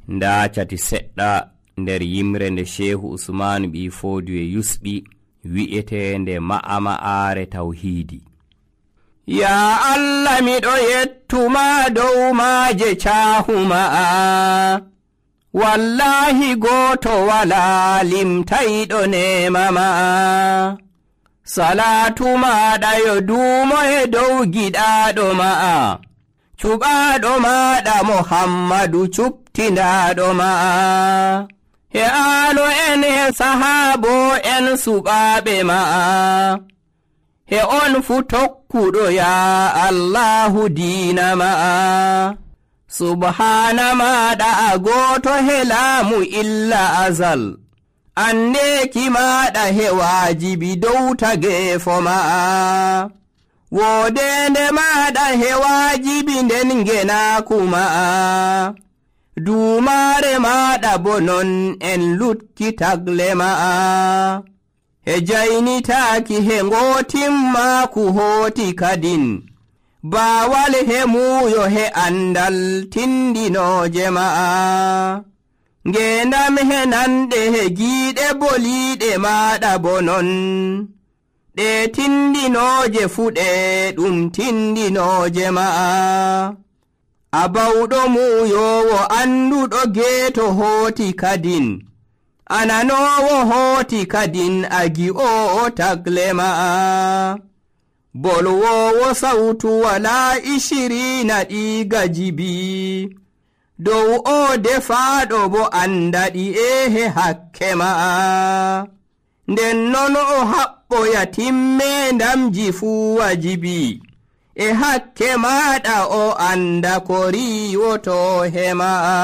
nda cati seɗɗa nder yimre nde Shehu Usmanu ɓi Fodiyo yusɓi wi'etende ma'ama'are tawhidi. Ya Allah miɗo yettuma dow maaje caahuma'a, wallahi gooto wala limtayɗo nema ma'a. Salatu maɗa yo duumo e dow giɗaɗo ma'a, cuɓaɗo maɗa Muhammadu cuɓtindaɗo ma'a. He aalo en he sahaabo en suɓaaɓe ma'a, he on fu tokkuɗo ya Allahu diina ma'a. Subhaana maɗa a gooto he laamu illa azal, anneeki maɗa he waajibi dow tageefo ma'a. Woodende maɗa he waajibi nden ngenaaku ma'a, duumaare maɗa bo non en lutki tagle ma'a. He jaynitaaki he ngootimmaaku hooti kadin, baawal he muuyo he andal tindinooje ma'a. Ngeendam he nanɗe he giiɗe boliiɗe maɗa bo non, ɗe tindinooje fuɗe ɗum tindinooje ma'a. A bawɗo muuyowo annduɗo geeto hooti kadin, ananoowo hooti kadin a gi'oowo tagle ma'a. Bolwowo sawtu walaa ishiriina ɗiiga jibi, dow o defaaɗo bo andaɗi he hakke ma'a. Nden non o haɓɓoya timmeendamji fuu wajibi, e hakke maɗa o anda ko riiwoto he ma'a.